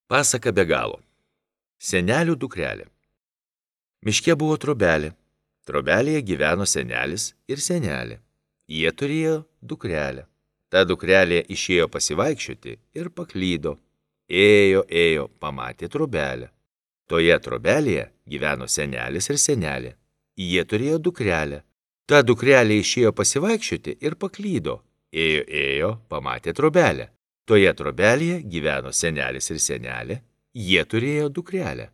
Pasaka be galo. Senelių dukrelė. Miške buvo trobelė. Trobelėje gyveno senelis ir senelė. Jie turėjo dukrelę. Ta dukrelė išėjo pasivaikščioti ir paklydo. Ėjo, pamatė trobelę. Toje trobelėje gyveno senelis ir senelė. Jie turėjo dukrelę. Ta dukrelė išėjo pasivaikščioti ir paklydo. Ėjo, pamatė trobelę. Toje trobelėje gyveno senelis ir senelė. Jie turėjo dukrelę.